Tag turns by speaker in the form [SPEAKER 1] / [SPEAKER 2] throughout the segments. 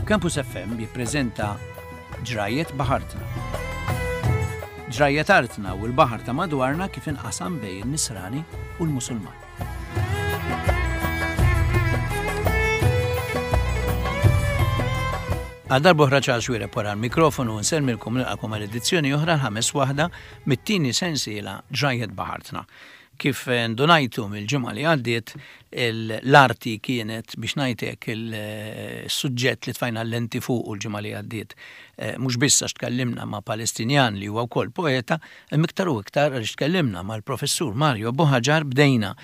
[SPEAKER 1] Campus FM jippreżenta Ġrajjet Baħartna. Ġrajjet artna u l-baħar ta' madwarna kif inqasam bejn in-Nisrani u l-Musulman. Għal darb'oħra Charles Xuereb wara l-mikrofonu u nsellmilkom nilqakom għal edizzjoni oħra l-ħames waħda mit-tieni sensiela Ġrajjet Baħartna. Kif ndunajtu mill-ġimgħa li għaddiet, l-arti kienet, biex ngħid hekk, il-suġġett li tfajna l-lenti fuqu l-ġimgħa li għaddiet. Mhux biss għax tkellimna ma' Palestinjan li huwa wkoll poeta, imma iktar u iktar għaliex tkellimna mal-Professur Mario Buhagiar, bdejna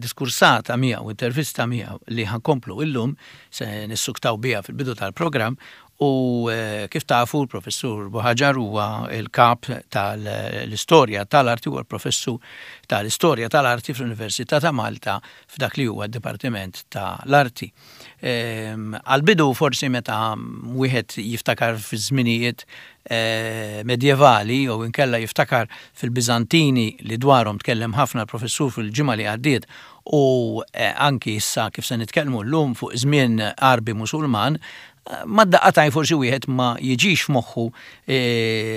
[SPEAKER 1] diskursata miegħu, intervista miegħu li ħa nkomplu illum, se nissuktaw biha fil-bidu tal-programm, U kif tafu l-Professur Buhagiar huwa l-kap tal-istorja tal-arti, huwa l-professur tal-istorja tal-arti fl-Università ta' Malta f'dak li huwa d-Dipartiment tal-Arti. Għall-bidu forsi meta wieħed jiftakar fiż-żminijiet medjevali jew inkella jiftakar fil-Biżantini li dwarhom tkellem ħafna l-professur fil-ġimgħa li għaddiet u anki issa kif se nitkellmu llum fuq żmien Għarbi Musulman, Mad-daqqa t'għajn forsi wieħed ma jiġix f'moħħu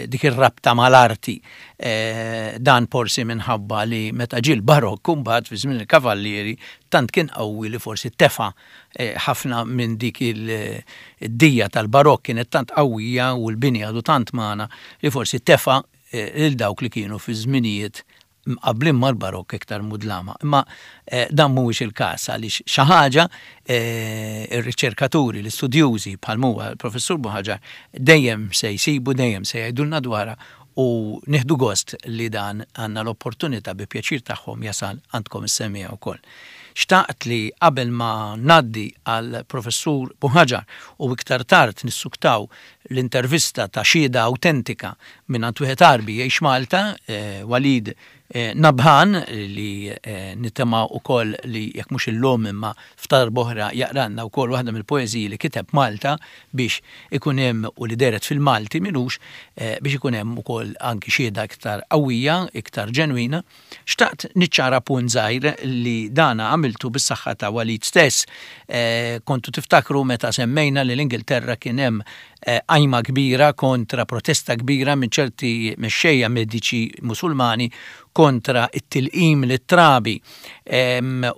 [SPEAKER 1] dik ir-rabta mal-arti. Dan forsi minħabba li meta ġie l-Barokk imbagħad fi żmien il-Kavallieri tant kien qawwi li forsi tefa' ħafna minn dik id-dija tal-Barokk kienet tant qawwija u l-bini għadu tant magħna li forsi tefa' lil dawk li kienu fi żminijiet mqabblin mal-Barokk iktar mudlama. Imma dan mhuwiex il-każ għaliex xi ħaġa r-riċerkaturi, l-istudjużi bħal m'huwa l-Professur Buhagiar dejjem se jsibu, dejjem se jgħidulna dwarha u nieħdu gost li dan għandna l-opportunità bi pjaċir tagħhom jasal għandkom is-semmiegħa wkoll. Xtaqt li qabel ma ngħaddi għall-Professur Buhagiar u iktar tard nissuktaw l-intervista ta' xhieda awtentika mingħand wieħed Għarbi jgħix Malta, Walid Nabhan, li nittama wkoll li jekk mhux illum imma f'darb'oħra jaqralna wkoll waħda mill-poeżiji li kiteb Malta biex ikun hemm u li dehret fil-Malti m'ilux biex ikun hemm ukoll anki xhieda iktar qawwija, iktar ġenwina. Xtaqt niċċara punt żgħir li dana għamiltu bis-saħħa ta' Walid stess. Kontu tiftakru meta semmejna li l-Ingilterra kien hemm qajma kbira kontra protesta kbira minn ċerti mexxejja mediċi Musulmani kontra t-tilqim lit-trabi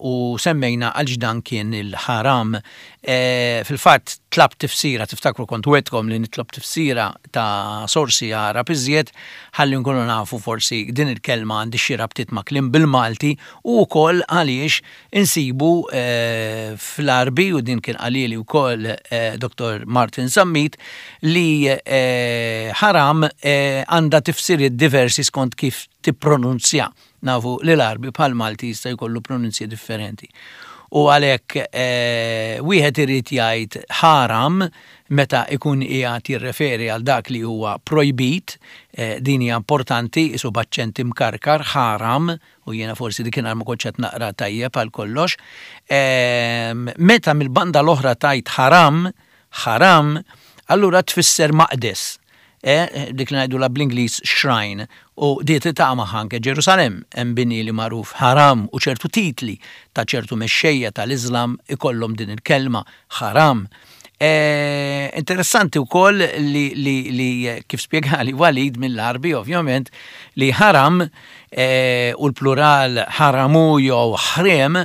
[SPEAKER 1] u semmejna għaliex dan kien il-ħaram. Fil-fatt tlabt tifsira, tiftakru kont wegħdtkom li nitlob tifsira ta' sorsi Għarab iżjed ħalli nkunu nafu forsi din il-kelma għandhiex xi rabtiet ma' kliem bil-Malti u wkoll għaliex insibu fl-Għarbi, u din kien qalhieli wkoll Dottor Martin Zammit, li ħaram għandha tifsiriet diversi skont kif tippronunzja. Nafu li l-Għarbi bħall-Malti jista' jkollu pronunzji differenti. U għalhekk wieħed irid jgħid ħaram meta jkun qiegħed jirreferi għal dak li huwa projbit, din hija importanti, qisu b'aċċent imkarkar, ħaram, u jiena forsi dikinhar ma kontx qed naqra tajjeb għal kollox. Meta mill-banda l-oħra tgħid ħaram, Ħaram, allura tfisser maqdes, eh, dik li ngħidulha bl-Ingliż shrine, u di tiltaqa' magħha anke Ġerusalemm, hemm bini li magħruf ħaram u ċertu titli ta' ċertu mexxejja tal-Iżlam ikollhom din il-kelma, ħaram. Eh, interessanti wkoll li, li, li kif spjegali Walid mill-Għarbi ovvjament li ħaram u l-plural ħaramu jew ħriem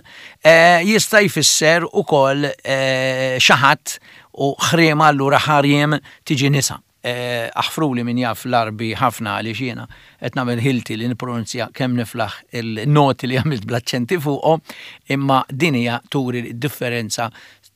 [SPEAKER 1] jista' jfisser ukoll xi ħadd u ħriema allura ħariem tiġi nisa. Aħfruli min jaf l-Għarbi ħafna għaliex jiena qed nagħmel ħilti li nippronunzja kemm niflaħ il-noti li għamilt bl-aċċenti fuqhom, imma din hija turi d-differenza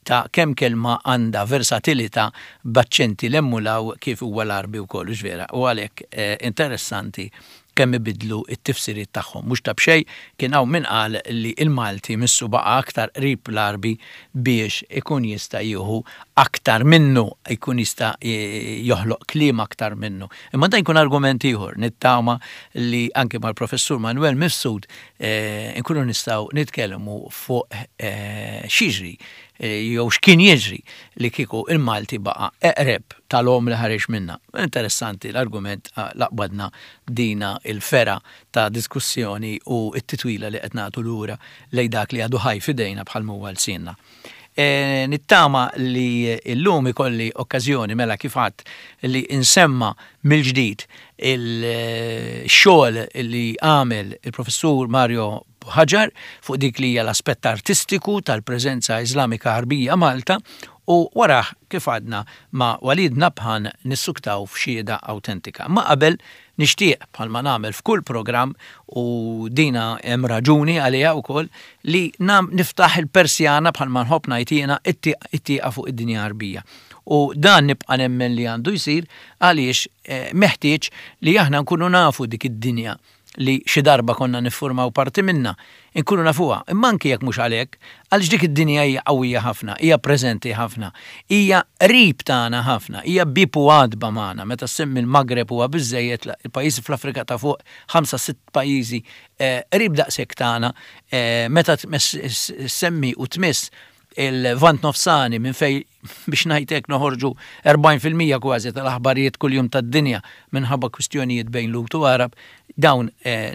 [SPEAKER 1] ta' kemm kelma għandha versatilità b'aċċenti 'l hemm u 'l hawn kif huwa l-Għarbi wkoll, hux vera? U għalhekk interessanti kemm ibiddlu t-tifsiriet tagħhom. Mhux ta' b'xejn kien hawn min qal li l-Malti missu baqa' aktar qrib l-Għarbi biex ikun jista' jieħu aktar minnu, jkun jista' joħloq kliem aktar minnu. Imma dan jkun argument ieħor, nittama li anke mal-Professur Manuel Mifsud inkunu nistgħu nitkellmu fuq x'jiġri jew x'kien jiġri li kieku il-Malti baqa' eqreb tal-omm li ħareġ minnha. Interessanti l-argument la qbadna dina il-fergħa ta' diskussjoni u t-titwila li qed nagħtu lura lejn dak li għadu ħaj f'idejna bħal m'huwa lsienna. Nittama li llum ikolli okkażjoni mela kif għadt li nsemma mill-ġdid il-xogħol li għamel il-Professur Mario Buhagiar fuq dik li hija l-aspett artistiku tal-preżenza Iżlamika Għarbija Malta u warah kif għadna ma' Walid Nabhan nissuktaw f'xhieda awtentika. Imma qabel Nixtieq, bħalma nagħmel f'kull programm, u dina hemm raġuni għaliha wkoll, li niftaħ il-persjana bħalma nħobb ngħid jiena, it-tieqa fuq id-dinja Għarbija. U dan nibqa' nemmen li għandu jsir għaliex meħtieġ li aħna nkunu nafu dik id-dinja li xi darba konna niffurmaw parti minnha, inkunu nafuha, imma anki jekk mhux għalhekk, għaliex dik id-dinja hija qawwija ħafna, hija preżenti ħafna, hija qrib tagħna ħafna, hija bieb u għatba magħna, meta ssemmi l-Maghreb huwa biżżejjed, il-pajjiżi fl-Afrika ta' fuq, ħamsa sitt pajjiżi qrib daqshekk tagħna, meta ssemmi u tmiss il-Lvant Nofsani minn fejn biex ngħid hekk noħorġu 40% kważi tal-aħbarijiet kuljum tad-dinja minħabba kwistjonijiet bejn Lhud u Għarab, dawn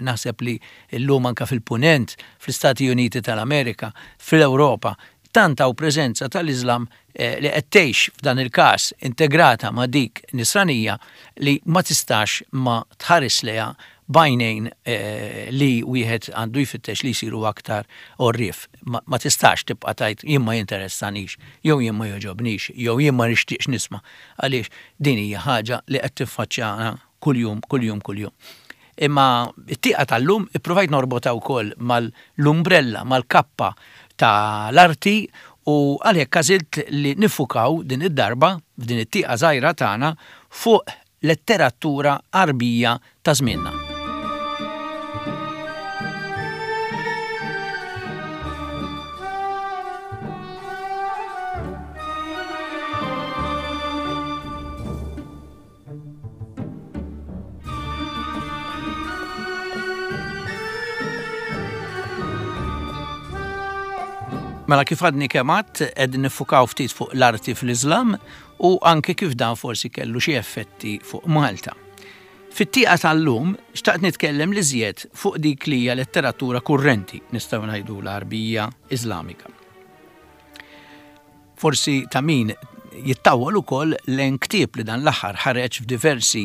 [SPEAKER 1] naħseb li llum anke fil-Punent, fl-Istati Uniti tal-Amerika, fl-Ewropa, tant hawn preżenza tal-Iżlam li qed tgħix f'dan il-każ integrata ma' dik Nisranija li ma tistax ma tħares lejha b'għajnejn li wieħed għandu jfittex li jsiru aktar għorrief. Ma tistax tibqa' tgħid jien ma jinteressanix, jew jien ma jogħġobnix, jew jien ma nixtieqx nisma' għaliex din hija ħaġa li qed tiffaċċjana kuljum, kuljum, kuljum. Imma t-tieqa tal-lum ippruvajt norbotha wkoll mal-umbrella, mal-kappa ta' l-arti u għalhekk għażilt li niffukaw din id-darba, f'din it-tieqa żgħira tagħna, fuq letteratura Għarbija ta' żmienna. Mela kif għadni kemm għadt, qegħdin niffukaw ftit fuq l-arti fl-Iżlam u anke kif dan forsi kellu xi effetti fuq Malta. Fit-tieqa tal-lum xtaqt nitkellem l-iżjed fuq dik li hija letteratura kurrenti, nistgħu ngħidu l-Għarbija Iżlamika. Forsi ta' min jittawwal ukoll lejn ktieb li dan l-aħħar ħareġ f'diversi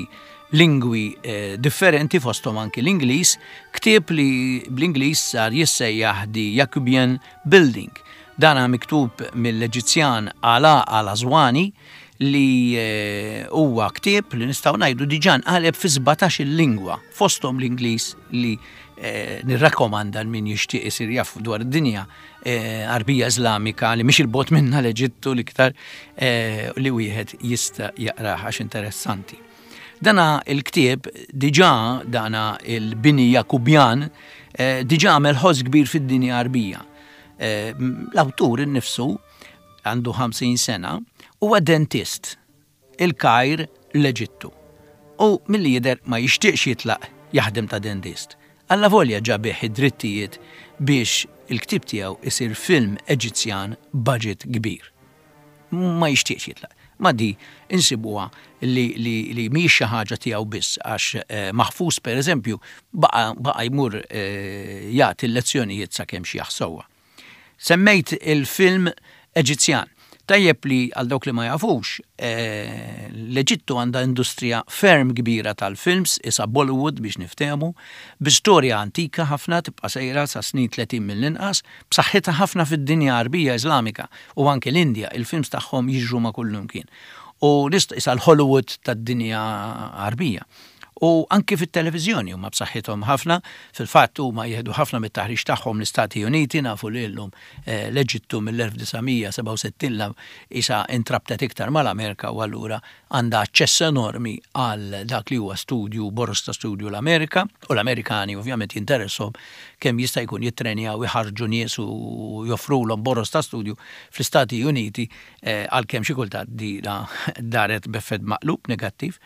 [SPEAKER 1] lingwi eh, differenti fosthom anki l-Ingliż, ktieb li bl-Ingliż sar jissejjaħ The Jacobean Building. Dana miktub mill-Eġizzjan Alaa Al-Aswani li huwa ktieb li nistgħu ngħidu diġà nqaleb fi 17-il lingwa, fosthom l-Ingliż li nirrakkomanda l min jixtieq isir jaf dwar id-dinja Għarbija Iżlamika li mhix il-bogħod minna l-Eġittu l-iktar li wieħed jista' jaqrah għax interessanti. Dana il-ktieb diġà dana il-bini Jakubjan diġà għamel ħoss kbir fid-dinja Għarbija. L-awtur innifsu għandu 50 sena huwa dentist il-Kajr l-Eġittu u milli jidher ma jixtieqx jitlaq jaħdem ta' dentist. Allavolja ġa biegħ id-drittijiet biex il-ktieb tiegħu isir film Eġizzjan b'budget kbir. Ma jixtieqx jitlaq. Ma di insibuha li li li mhijiex xi ħaġa tiegħu biss għax Mahfouz pereżempju baqa' baqa' jmur jagħti l-lezzjonijiet sakemm xjaħ sewwa. Semmejt il-film Eġizzjan. Tajjeb li għal dawk li ma jafux, l-Eġittu għandha industrija ferm kbira tal-films, isa Bollywood biex niftehmu, bi storja antika ħafna tibqa' sejra sa snin 30 mill-inqas, b'saħħitha ħafna fid-dinja Għarbija Iżlamika u anke l-Indja, il-films tagħhom jiġru ma' kullimkien. U nista' isa l-Hollywood tad-dinja Għarbija. U anki fit-televiżjoni huma b'saħħithom ħafna. Fil-fatt huma jieħdu ħafna mit-taħriġ tagħhom l-Istati Uniti, nafu li llum l-Eġittu mill-1967 'l hawn qisha intrabtet iktar mal-Amerika u allura għandha aċċess enormi għal dak li huwa studju, boroż ta' studju l-Amerika, u l-Amerikani ovvjament jinteresshom kemm jista' jkun jittrenjaw, iħarrġu nies u joffrulhom boroż ta' studju fl-Istati Uniti għalkemm xi kultant dina daret b'effett maqlub negattiv.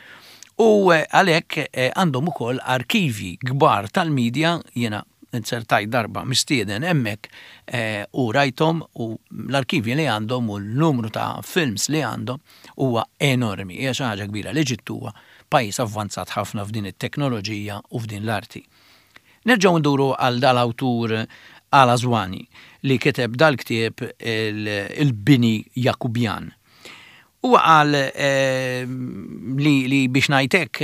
[SPEAKER 1] U għalhekk għandhom ukoll arkivji kbar tal-media, jiena inzertajt darba mistieden hemmhekk u rajthom u l-arkivji li għandhom u l-numru ta' films li għandhom huwa enormi, hija xi ħaġa kbira. L-Eġittu huwa pajjiż avvanzat ħafna f'din it-teknoloġija u f'din l-arti. Nerġgħu nduru għal dal-awtur Al-Aswani li kiteb dal-ktieb Il-Bini Jakubjan. Huwa qal li li biex ngħid hekk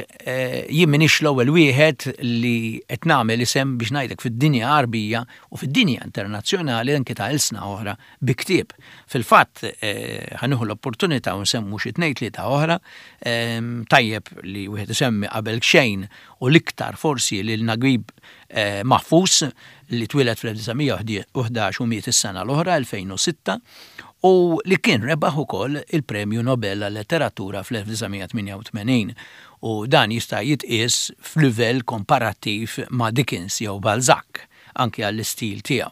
[SPEAKER 1] jien m'iniex l-ewwel wieħed li qed nagħmel isem biex ngħid hekk fid-dinja Għarbija u fid-dinja internazzjonali anki ta' ilsna oħra bi ktieb. Fil-fatt ħa nieħu l-opportunità u nsemmu xi tnejn tlieta oħra, tajjeb li wieħed isemmi qabel xejn u l-iktar forsi lil Naguib Mahfouz li twieled fl-1911 u miet is-sena l-oħra 2006 u li kien rebaħ ukoll il-Premju Nobel għal-Letteratura fl-1988 u dan jista' jitqies f'livell komparattiv ma' Dickens jew Balzac anki għall-istil tiegħu.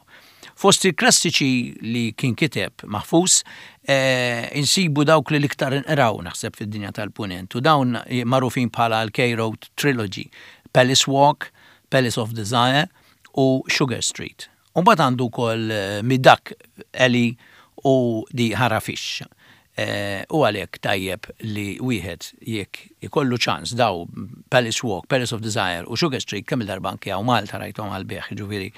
[SPEAKER 1] Fost il-klassiċi li kien kiteb Mahfouz insibu dawk li l-iktar inqraw naħseb fid-dinja tal-Punent u dawn magħrufin bħala l-Cairo Trilogy, Palace Walk, Palace of Desire u Sugar Street. U mbagħad għandu wkoll Midak Alley u The Harafish. U għalhekk tajjeb li wieħed jekk ikollu ċans daw Palace Walk, Palace of Desire u Sugar Street kemm-il darba anke hawn Malta rajthom għall-bejgħ, jiġifieri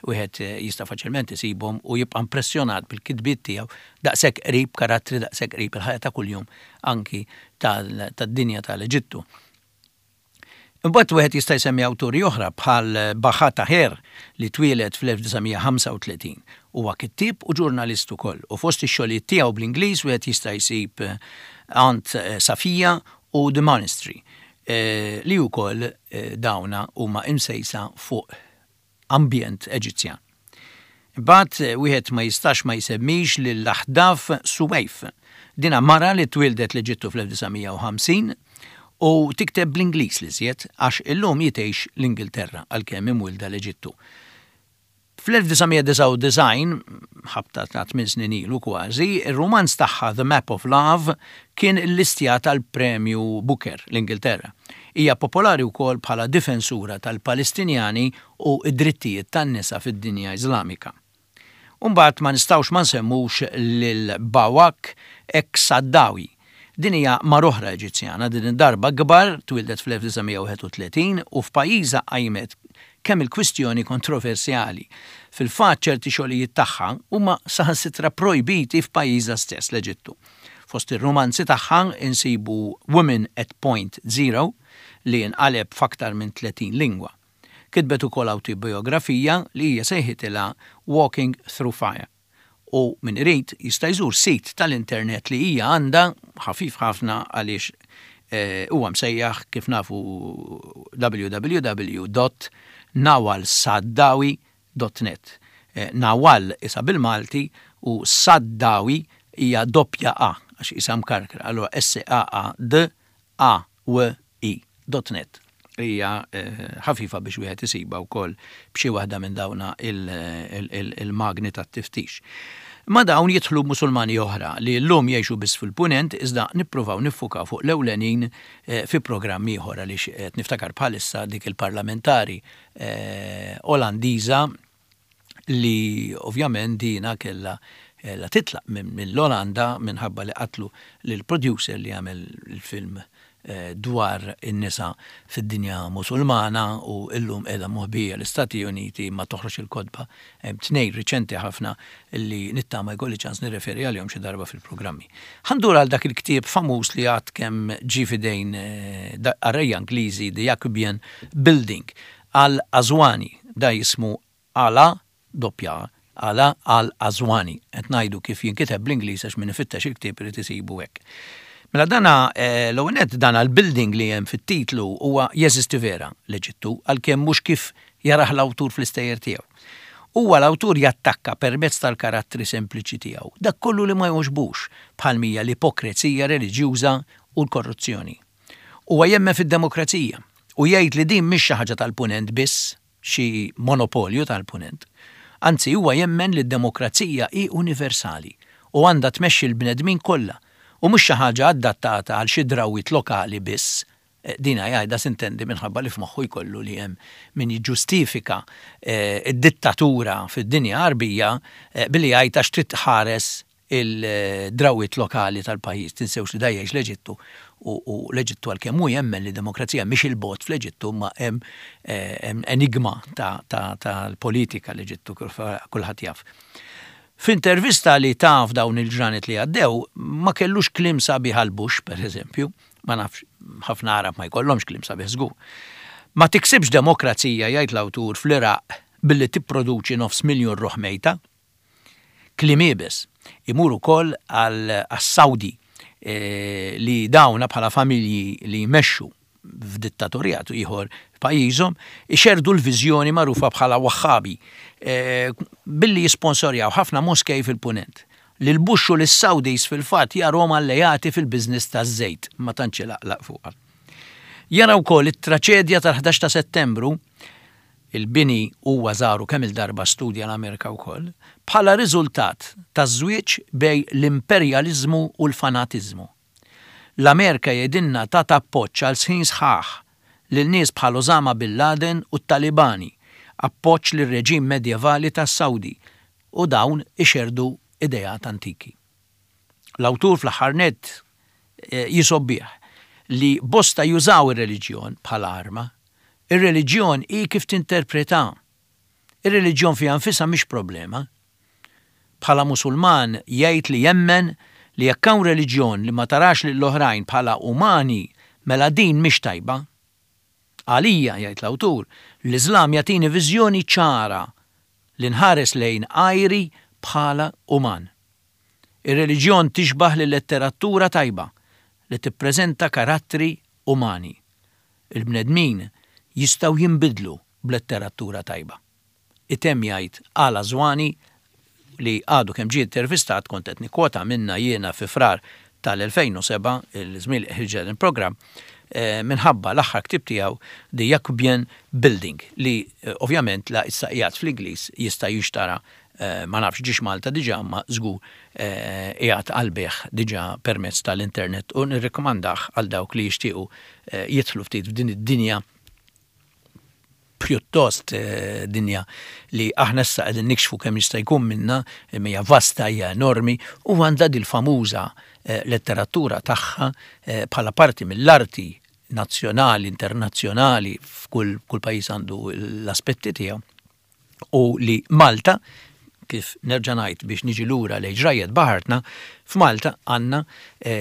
[SPEAKER 1] wieħed jista' faċilment isibhom u jibqa' impressjonat bil-kitbiet tiegħu daqshekk qrib karattri daqshekk qrib il-ħajja ta' kuljum anki tad-dinja tal-Eġittu. Imbagħad wieħed jista' jsemmi awturi oħra bħal Baha Taher li twieled fl-1935. Huwa kittieb u ġurnalist ukoll u fost ix-xogħlijiet tiegħu bl-Ingliż wieħed jista' jsib Aunt Safia u The Monastery li wkoll dawna huma imsejsa fuq ambjent Eġizzjan. Imbagħad wieħed ma jistax ma jsemmix lil Ahdaf Soueif. Dinha mara li twieldet l-Eġittu fl-1950 u tikteb bl-Ingliż l-iżjed għax illum hi tgħix l-Ingilterra għalkemm imwielda l-Eġittu. Fl-1999, ħabta ta' tminn snin ilu kważi, ir-rumanz tagħha The Map of Love kien illistjat għall-Premju Booker, l-Ingilterra. Hija popolari wkoll bħala difensura tal-Palestinjani u d-drittijiet tan-nisa fid-dinja Iżlamika. U mbagħad ma nistgħux ma nsemmux lil Bawak Eksaddawi. Din hija mara oħra Eġizzjana, din id-darba kbar, twieldet fl-1931 u f'pajjiżha qajmet kemm il-kwistjoni kontroversjali. Fil-fatt ċerti xogħlijiet tagħha huma saħansitra projbiti f'pajjiżha stess, l-Eġittu. Fost ir-rumanzi tagħha insibu Women at Point Zero li nqaleb f'aktar minn 30 lingwa. Kitbet ukoll awtobijografija li hija sejħitilha Walking Through Fire u min irid jista' jżur sit tal-internet li hija għandha, ħafif ħafna għaliex huwa msejjaħ kif nafu www dot nawalsaddawi dot net. Nawal isa bil-Malti u Saddawi hija doppja A għax isa mkarkra, allura S-A-A-D A-W-I dot net. Hija ħafifa biex wieħed isibha wkoll b'xi waħda minn dawna il-magni tat-tiftix. Ma' dawn jidħlu Musulmani oħra li llum jgħixu biss fil-Punent iżda nippruvaw niffukaw fuq l-ewlenin fi programm ieħor għaliex qed niftakar bħalissa dik il-parlamentari Olandiża li ovvjament dina kellha kellha titlaq mill-Olanda minħabba li qatlu lill-producer li għamel il-film dwar in-nisa fid-dinja Musulmana u llum qiegħda moħbija l-Istati Uniti imma toħroġ il-kotba hemm tnejn riċenti ħafna li nittama jkolli ċans nirreferi għalihom xi darba fil-programmi. Ħa ndur għal dak il-ktieb famuż li għad kemm ġie f'idejn qarrejja Ingliżi The Jacobean Building Al-Aswani, da jismu Ala, doppja A, Ala Al-Aswani. Qed ngħidu kif jinkiteb bl-Ingliż għax min ifittex il-ktieb irid isibu hekk. Mela dana, l-ewwel nett dana l-building li hemm fit-titlu huwa jeżisti vera l-Eġittu għalkemm mhux kif jarah l-awtur fl-istejjer tiegħu. Huwa l-awtur jattakka permezz tal-karattri sempliċi tiegħu dak kollu li ma jogħġbux bħal m'hija l-ipokrezija reliġjuża u l-korruzzjoni. Huwa jemmen fid-demokrazija u jgħid li din mhix xi ħaġa tal-Punent biss, xi monopolju tal-Punent. Anzi huwa jemmen li d-demokrazija hi universali u għandha tmexxi l-bnedmin kollha u mhux xi ħaġa adattata għal xi drawwiet lokali biss. Dina jgħidha sintendi minħabba li f'moħħu jkollu li hemm min jiġġustifika d-dittatura fid-dinja Għarbija billi jgħid għax trid tħares. il-drawwiet lokali tal-pajjiż. Tinsewx li da jgħix l-Eġittu u l-Eġittu għalkemm hu jemmen li demokrazija mhix il-bogħod fl-Eġittu imma hemm enigma tal-politika l-Eġittu kulħadd jaf. F'intervista li ta f'dawn il-ġranet li għaddew ma kellux kliem sabiħ għal Bush, pereżempju, ma nafx, ħafna Għarab ma jkollhomx kliem sabiħ żgur. Ma tiksibx demokrazija, jgħid l-awtur, fl-Iraq billi tipproduċi nofs miljun ruħ mejta. Kliem iebes. Imur ukoll għas-Sawdi li dawna bħala familji li jmexxu f'dittatorjat ieħor f'pajjiżhom, ixerrdu l-viżjoni magħrufa bħala Wahhabi billi jisponsorjaw ħafna moskej fil-Punent. Lil Bush u lis-Saudis fil-fatt jarhom alleati fil-business taż-żejt, ma tantx ilaqlaq fuqha. Jara wkoll it-traċedja tal-11 ta' Settembru, il-bini huwa żaru kemm-il darba studja l-Amerika wkoll, bħala riżultat taż-żwieġ bejn l-imperjaliżmu u l-fanatiżmu. L-Amerika jgħidilna tat appoġġ għal snin sħaħ lil nies bħal Osama bin Laden u t-Talibani, appoġġ lir-reġim medjevali tas-Sawdi u dawn ixerrdu ideat antiki. L-awtur fl-aħħar nett jisobbih li bosta jużaw ir-reliġjon bħala arma. Ir-reliġjon hi kif tinterpretha. Ir-reliġjon fiha nfisha mhix problema. Bħala Musulman jgħid li jemmen li jekk hawn reliġjon li ma tarax lill-oħrajn bħala umani mela din mhix tajba. Għalija, jgħid l-awtur, l-Iżlam jagħtini viżjoni ċara li nħares lejn għajri bħala uman. Ir-reliġjon tixbah lil-letteratura tajba li tippreżenta karattri umani. Il-bnedmin jistgħu jinbidlu b'letteratura tajba. Itemm jgħid Al Aswani li għadu kemm ġie intervistat, kont qed nikkwota minnha jiena fi Frar tal-2007, il-żmien li ħriġ dan il-programm, minħabba l-aħħar ktieb tiegħu The Yacoubian Building li ovvjament la issa qiegħed fl-Ingliż jista' jinxtara ma nafx ġiex Malta diġà imma żgur qiegħed għall-bejgħ diġà permezz tal-internet u nirrikkomandah għal dawk li jixtiequ jidħlu ftit f'din id-dinja pjuttost dinja li aħna issa qegħdin nikxfu kemm jista' jkun minnha, imma hija vasta, hija enormi u għandha dil-famuża letteratura tagħha bħala parti mill-arti nazzjonali, internazzjonali, f'kull kull pajjiż għandu l-aspetti tiegħu u li Malta, kif nerġa' ngħid biex niġi lura lejn ġrajjet baħartna, f'Malta għandna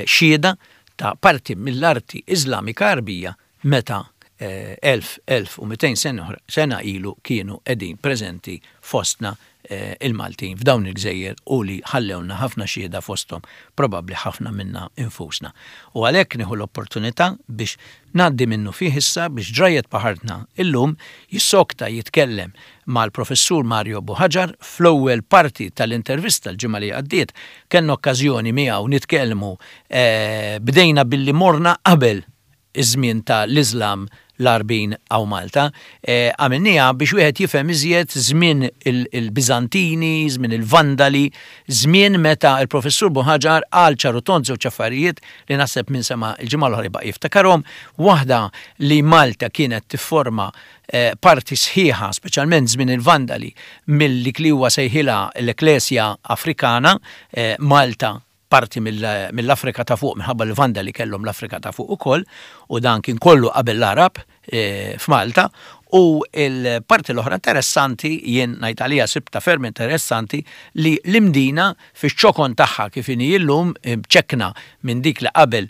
[SPEAKER 1] xhieda ta' parti mill-arti Iżlamika Għarbija meta 1200 sena ilu kienu qegħdin preżenti fostna il-Maltin f'dawn il-gżejjer u li ħallewlna ħafna xhieda fosthom probabbli ħafna minna infusna. U għalhekk nieħu l-opportunità biex ngħaddi minnufih issa biex Ġrajjet Baħartna illum jissokta jitkellem mal-Professur Mario Buhagiar fl-ewwel parti tal-intervista l-ġimgħa li għaddiet kellna okkażjoni miegħu nitkellmu bdejna billi morna qabel iż-żmien ta' l-Iżlam l-Għarbin hawn Malta. Għamilniha biex wieħed jifhem iżjed żmien il-Biżantini, żmien il-Vandali, żmien meta l-Professur Buhaġar qal ċar u tond żewġ affarijiet li naħseb min sema' l-ġimgħa l-oħra jibqa' jiftakarhom. Waħda li Malta kienet tifforma parti sħiħa, speċjalment żmien il-Vandali, mill dik li huwa sejħilha l-Ekklesia Afrikana, Malta parti mill-Afrika ta' Fuq minħabba li l-Vandali kellhom l-Afrika ta' Fuq ukoll u dan kien kollu qabel l-Għarab f'Malta u l-parti l-oħra interessanti jien ngħid għaliha sibtha ferm interessanti li l-Imdina fiċ-ċokon tagħha kif inhi llum mċekkna minn dik li qabel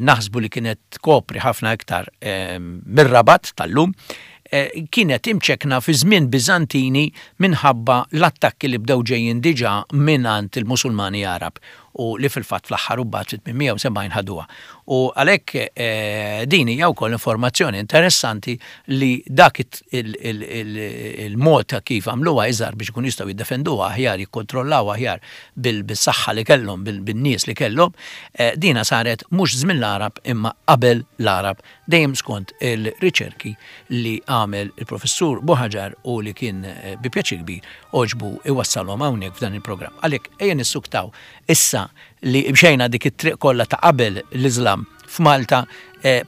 [SPEAKER 1] naħsbu li kienet tkopri ħafna iktar mir-Rabat tal-lum kienet imċekkna fi żmien Biżantini minħabba l-attakki li bdew ġejjin diġà mingħand il-Musulmani Għarab u li fil-fatt fl-aħħar u mbagħad fit-870 ħaduha. U għalhekk din hija wkoll informazzjoni interessanti li dak il-mod ta' kif għamluha iżgħar biex ikunu jistgħu jiddefenduha aħjar, jikkontrollawha aħjar bis-saħħa li kellhom, bin-nies li kellhom, dina saret mhux żmien l-Għarab imma qabel l-Għarab dejjem skont il-riċerki li għamel il-Professur Buhaġar u li kien bi pjaċir kbir għoġbu iwassalhom hawnhekk f'dan il-programm. Għalhekk ejja nissuktaw issa li mxejna dik it-triq kollha ta' qabel l-Iżlam f'Malta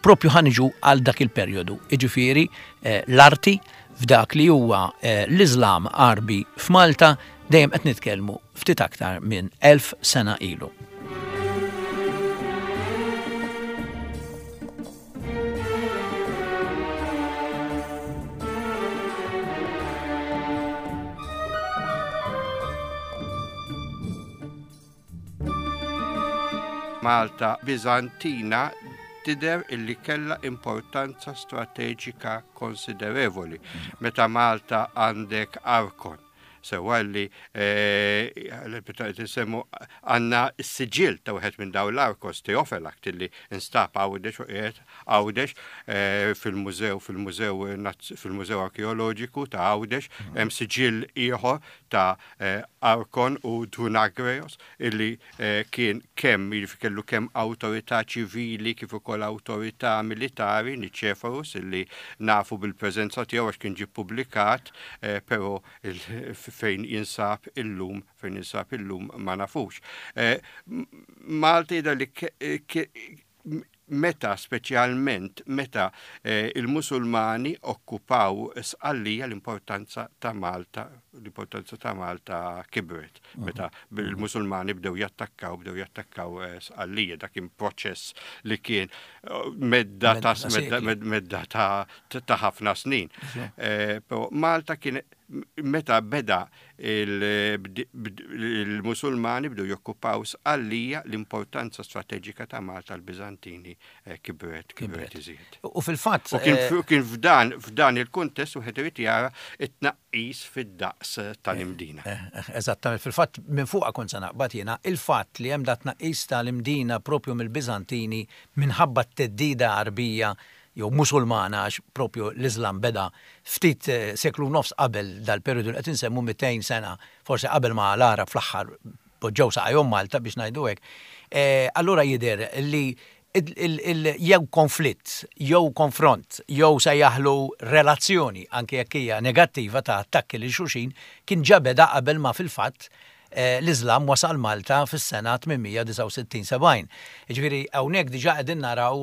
[SPEAKER 1] propju ħa niġu għal dak il-perjodu, jiġifieri l-arti f'dak li huwa l-Iżlam Għarbi f'Malta. Dejjem qed nitkellmu ftit aktar minn 1000 sena ilu.
[SPEAKER 2] Malta Biżantina tidher illi kellha importanza strateġika konsiderevoli. Meta Malta għandek Arkon, sewwa li meta qed insemmu għandna s-siġill ta' wieħed minn dawn l-Arkos, Teofelakt, illi instab Għawdex u qiegħed Għawdex fil-mużew fil-mużew fil-Mużew Arkeoloġiku ta' Għawdex, hemm siġill ieħor ta' Arkon u Drunagreos illi kien kemm jiġifieri kellu kemm awtorità ċivili kif ukoll awtorità militari, Niċeforus illi nafu bil-preżenza tiegħu għax kien ġie ppubblikat però fejn jinsab illum fejn jinsab illum ma nafux. Malta jidher li meta speċjalment meta il-Musulmani okkupaw Sqallija l-importanza ta' Malta l-importanza ta' Malta kibret meta il-Musulmani bdew jattakkaw bdew jattakkaw Sqallija dak kien proċess li kien medda ta' medda ta' ħafna snin. Però Malta kien meta beda il-Musulmani bdew jokkupaw Sqallija, l-importanza strateġika ta' Malta l-Biżantini eh, kibret, kibret iżjed.
[SPEAKER 1] U fil-fatt.
[SPEAKER 2] U kien eh, f'dan f'dan il-kuntest wieħed irid jara t-tnaqqis fid-daqs tal-Imdina.
[SPEAKER 1] Eh, eżattament, fil-fatt minn fuqha kont se naqbad jiena, il-fatt li hemm dat tnaqqis tal-Imdina propju mill-Biżantini minħabba t-theddida Għarbija jew Musulmana għax propju l-Iżlam beda ftit seklu u nofs qabel dal-perjodu li qed insemmu 200 sena forsi qabel ma l-Għarab fl-aħħar poġġew saqajhom Malta biex ngħidu hekk, allura jidher li jew konflitt jew konfront jew sejjaħlu relazzjoni anke jekk hija negattiva ta' attakki lil xulxin kien ġa beda qabel ma fil-fatt l-Iżlam wasal Malta fis-sena 869 70. Jiġifieri hawnhekk diġà qegħdin naraw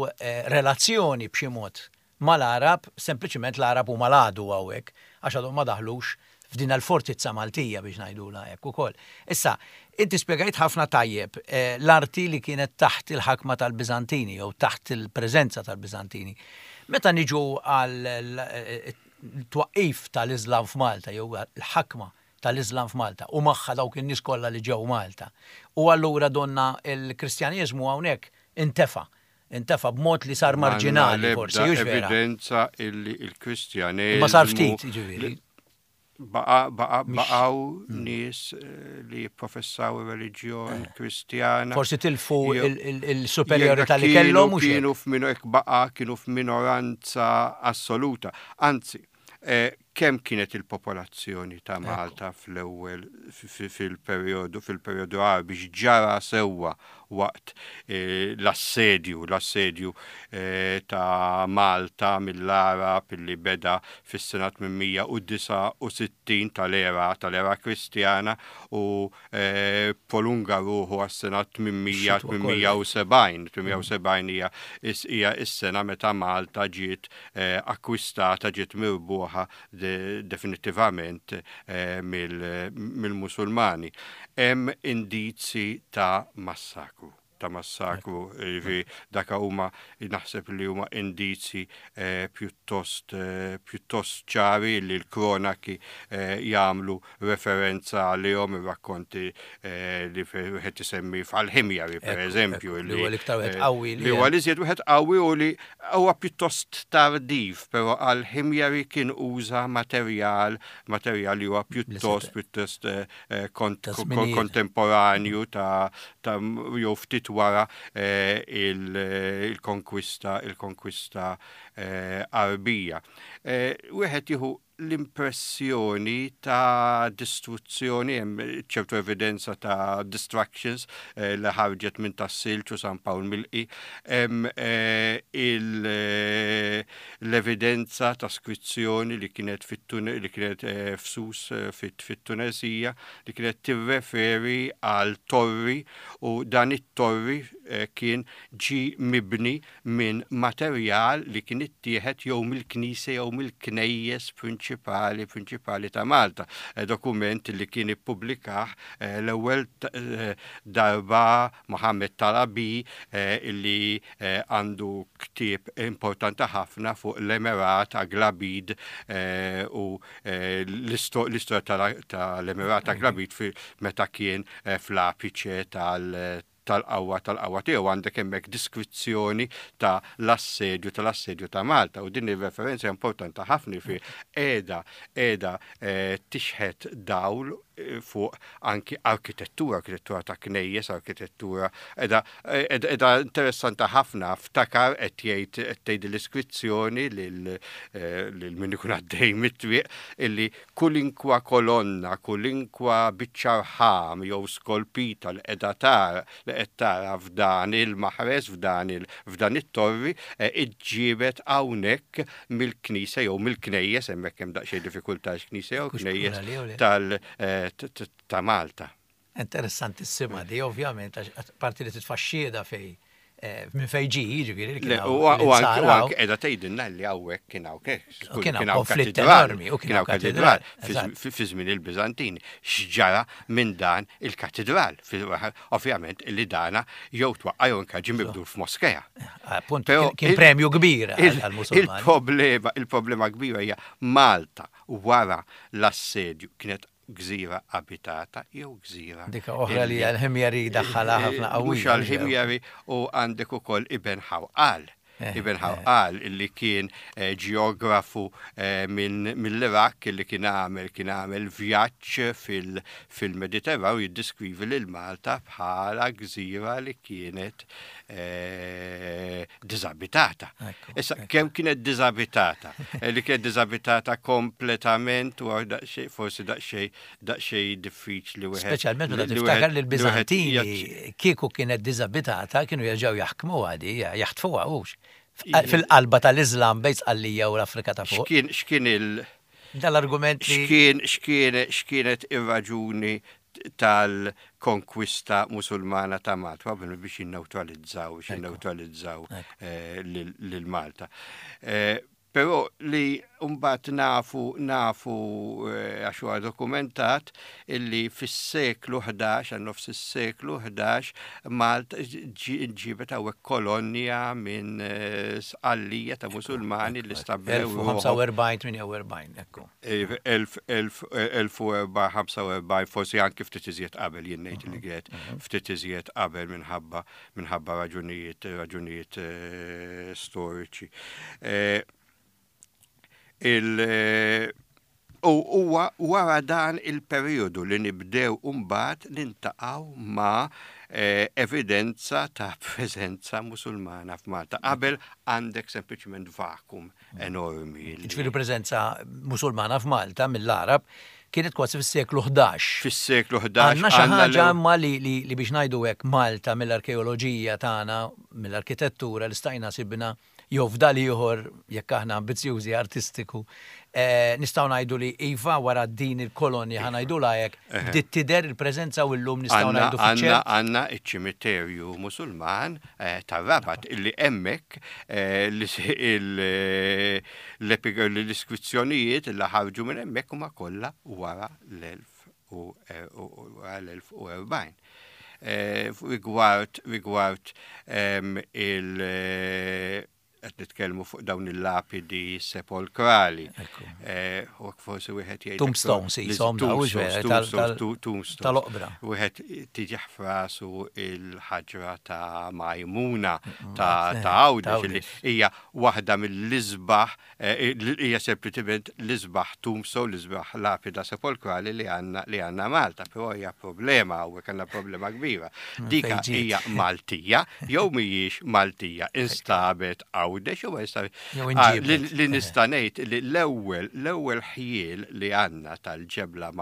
[SPEAKER 1] relazzjoni b'xi mod mal-Għarab, sempliċiment l-Għarab huma l-għadu hawnhekk għax għadhom ma daħlux f'din l-fortizza Maltija biex ngħidulha hekk ukoll. Issa, inti spjegajt ħafna tajjeb l-arti li kienet taħt il-ħakma tal-Biżantini jew taħt il-preżenza tal-Biżantini. Meta niġu għal twaqqif tal-Iżlam f'Malta jew l-ħakma tal-Iżlam f'Malta u magħha dawk in-nies kollha li ġew Malta. U allura donna l-Kristjaneżmu hawnhekk intefa'. Intefa' b'mod li sar marġinali forsi, hux
[SPEAKER 2] vera? M'għandna l-ebda evidenza illi l-Kristjaneżmu.
[SPEAKER 1] Imma sar ftit, jiġifieri.
[SPEAKER 2] Baqa' baqa' baqgħu nies li jipprofessaw ir-reliġjon Kristjana.
[SPEAKER 1] Forsi tilfu il-superjorità li kellhom
[SPEAKER 2] hux hekk? Kienu f'mino hekk baqa' kienu f'minoranza assoluta. Anzi, Kemm kienet il-popolazzjoni ta' Malta fl-ewwel fil-perjodu fil-perjodu Għarbi x'ġara sewwa waqt l-assedju l-assedju ta' Malta mill-Għarab li beda fis-sena 869 tal-era tal-era Kristjana u prolunga ruħu għas-sena 870. 870 hija hija s-sena meta Malta ġiet akkwistata, ġiet mirbuħa definittivament mill-Musulmani. Hemm indizji ta' massakru ta' massakru, jiġifieri dak huma naħseb li huma indizji pjuttost pjuttost ċari li l-kronaki jagħmlu referenza għalihom ir-rakkonti li wieħed isemmi f'Al-Ħimjari pereżempju.
[SPEAKER 1] Li huwa l-iktar wieħed qawwi.
[SPEAKER 2] Li huwa l-iżjed wieħed qawwi u li huwa pjuttost tardiv, però Al-Ħimjari kien uża materjal materjal li huwa pjuttost pjuttost kontemporanju ta' jew ftit wara il-konkwista il-konkwista Għarbija. Wieħed jieħu l-impressjoni ta' distruzzjoni, hemm ċertu evidenza ta' destructions li ħarġet minn Tas-Silġ u San Pawl Milqi, hemm l-evidenza ta' skrizzjoni li kienet li kienet f'Sus fit-Tuneżija li kienet tirreferi għal torri u dan it-torri kien ġie mibni minn materjal li kien ittieħed jew mill-knisja jew mill-knejjes prinċipali. prinċipali prinċipali ta' Malta. Eh, dokument li kien ippubblikah eh, l-ewwel eh, darba Mohammed Talabi illi għandu ktieb importanti ħafna fuq l-Emirat Aglabid u l-istorja tal-Emirat Aglabid meta kien fl-apiċe tal- tal-qawwa tal-qawwa tiegħu għandek hemmhekk diskrizzjoni ta' l-assedju tal-assedju ta' Malta u din ir-referenza importanti ħafna fi qiegħda qiegħda eh, tixħet dawl eh, fuq anki arkitettura, arkitettura ta' knejjes, arkitettura qiegħda qiegħda interessanti ħafna ftakar qed jgħid qed tgħid l-iskrizzjoni lil eh, lil min ikun għaddej mit-triq illi Kulinkwa kolonna, kulinkwa biċċa rħam jew skolpita li qiegħda tara, li qed tara f'dan il-maħres, f'dan il, f'dan it-torri, iġġiebet hawnhekk mill-knisja jew mill-knejjes, hemmhekk hemm daqsxejn diffikultà għax knisja jew knejjes tal, ta' Malta.
[SPEAKER 1] Interessantissima di, ovvjament, għax parti li titfa' xhieda fej eh, minn fej ġi, jiġifieri li kien
[SPEAKER 2] hawn. U anke qiegħda tgħidilna li hawnhekk kien hawn
[SPEAKER 1] kien hawn konflitt enormi u kien hawn katedral
[SPEAKER 2] fi żmien il-Biżantini. X'ġara minn dan il-katedral? Ovvjament li dana jew twaqqa' jew anke ġie mibdul f'moskea.
[SPEAKER 1] Appunt kien premju kbir għall-Musulmani.
[SPEAKER 2] Il-problema, il-problema kbira hija Malta wara l-assedju kienet gżira abitata jew gżira.
[SPEAKER 1] Dika oħra li għal-ħimjari daħħalha ħafna qawwija.
[SPEAKER 2] Mhux għal-ħimjari u għandek ukoll Ibn Ħawqal. Eh, Ibn eh. Ħawqal illi kien eh, ġeografu mill-Iraq illi kien għamel kien għamel vjaġġ fil-Mediterran u jiddiskrivi lil Malta bħala gżira li kienet diżabitata. Issa, kemm kienet diżabitata? Eh, li kienet diżabitata kompletament u forsi daqsxejn daqsxejn diffiċli
[SPEAKER 1] wieħed. Speċjalment meta tiftakar li l-Biżantini kieku kienet diżabitata kienu jerġgħu jaħkmu għadi, jaħtfuha hux. Fil-qalba tal-Iżlam bejn Sqallija u l-Afrika ta' fuq.
[SPEAKER 2] X'kien il-
[SPEAKER 1] Dal-argument
[SPEAKER 2] li. X'kien x'kien x'kienet ir-raġuni tal-konkwista Musulmana ta' Malta, probabilment biex jinnewtralizzaw, biex jinnewtralizzaw eh, lil Malta. Eh, però li mbagħad nafu nafu eh, għax huwa dokumentat illi fis-seklu 11, għal nofs is-seklu 11, Malta ġiebet hawnhekk kolonja minn Sqallija ta' Musulmani li stabbilew.
[SPEAKER 1] 1045-48, ekku.
[SPEAKER 2] 1445, forsi anki ftit iżjed qabel, jien ngħid li kienet ftit iżjed qabel minħabba minħabba raġunijiet raġunijiet storiċi. Il U huwa wara dan il-perijodu li nibdew imbagħad niltaqgħu ma' evidenza ta' preżenza Musulmana f'Malta. Qabel għandek sempliċement vakum enormi.
[SPEAKER 1] Jiġifieri preżenza Musulmana f'Malta mill-Għarab kienet kważi fis-seklu 11.
[SPEAKER 2] Fis-seklu 11.
[SPEAKER 1] Għandna xi ħaġa imma li biex ngħidu hekk Malta mill-arkeoloġija tagħna, mill-arkitettura li stajna sibna jew fdal ieħor, jekk aħna ambizzjużi, artistiku, nistgħu ngħidu li iva wara din il-kolonja, ħa ngħidulha hekk, bdiet tidher il-preżenza u llum nistgħu ngħidu
[SPEAKER 2] fiċ-ċert. Għandna ċ-ċimiterju Musulman tar-Rabat illi hemmhekk l-iskrizzjonijiet li ħarġu minn hemmhekk huma kollha wara l-1040. Rigward rigward il qed nitkellmu fuq dawn il-lapidi sepolkrali. U forsi wieħed jgħid.
[SPEAKER 1] Tombstones jisom tal-oqbra.
[SPEAKER 2] Wieħed tiġi frasu il-ħaġra ta' Majmuna ta' Għawdex li hija waħda mill-isbaħ Hija sempliċement l-isbaħ tombstone, l-isbaħ lapida sepolkrali li għandna li għandna Malta, però hija problema hawnhekk għandna problema kbira. Dika hija Maltija jew mhijiex Maltija, instabet Għawdex jew instabet. Ah, li nista' ngħid li l-ewwel l-ewwel ħjiel li għandna tal-ġebla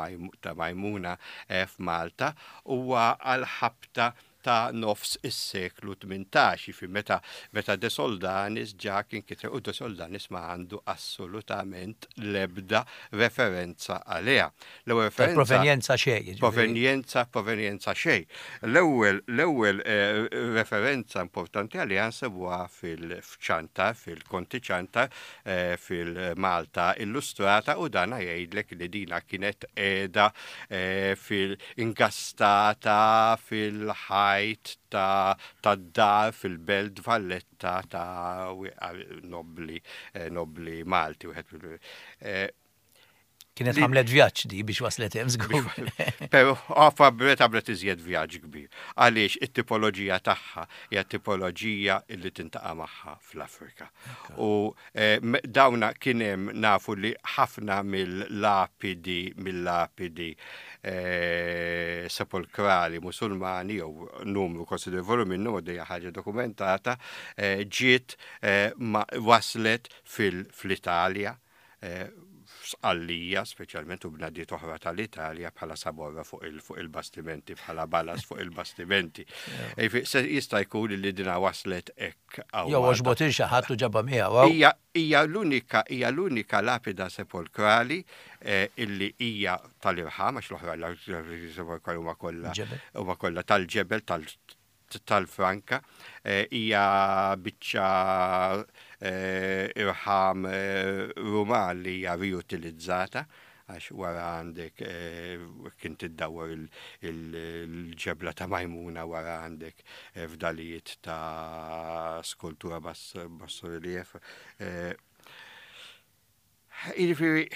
[SPEAKER 2] ta' Majmuna eh, f'Malta huwa għal ħabta ta' nofs is-seklu 18, jiġifieri meta meta De Soldanis ġa kien kiteb u De Soldanis ma għandu assolutament l-ebda referenza għaliha.
[SPEAKER 1] L-ewwel referenza. Provenjenza xejn.
[SPEAKER 2] Provenjenza, provenjenza xejn. L-ewwel l-ewwel eh, referenza importanti għaliha nsibuha fil-Ċantar, fil-Konti Ċantar, eh, fil-Malta Illustrata u dana jgħidlek li dina kienet qiegħda eh, fil-ingastata fil-ħajt ta' tad-dar fil-Belt Valletta ta' nobli nobli Malti wieħed
[SPEAKER 1] Kienet għamlet vjaġġ di biex waslet hemm żgur.
[SPEAKER 2] Però għamlet għamlet iżjed vjaġġ kbir. Għaliex it-tipoloġija tagħha hija tipoloġija li tintaqa' magħha fl-Afrika. U eh, dawna kien hemm nafu li ħafna mill-lapidi mill-lapidi eh, sepolkrali musulmani jew numru konsiderevoli minnhom u dejja ħaġa dokumentata eh, ġiet waslet fil-Italja f'Sqallija, speċjalment u bnadiet oħra tal-Italja bħala saborra fuq il-bastimenti, bħala balas fuq il-bastimenti. Jista' jkun li dina waslet hekk
[SPEAKER 1] hawn. Jew għoġbot il xi ħadd u ġabha miegħu.
[SPEAKER 2] Hija l-unika hija l-unika lapida sepolkrali eh, illi hija tal-irħam għax l-oħra sepolkrali huma kollha huma kollha tal-ġebel tal tal-franka hija biċċa irħam Ruman li hija riutilizzata għax wara għandek kien tiddawwar il-ġebla ta' Majmuna wara għandek fdalijiet ta' skultura basso-relief. Jiġifieri.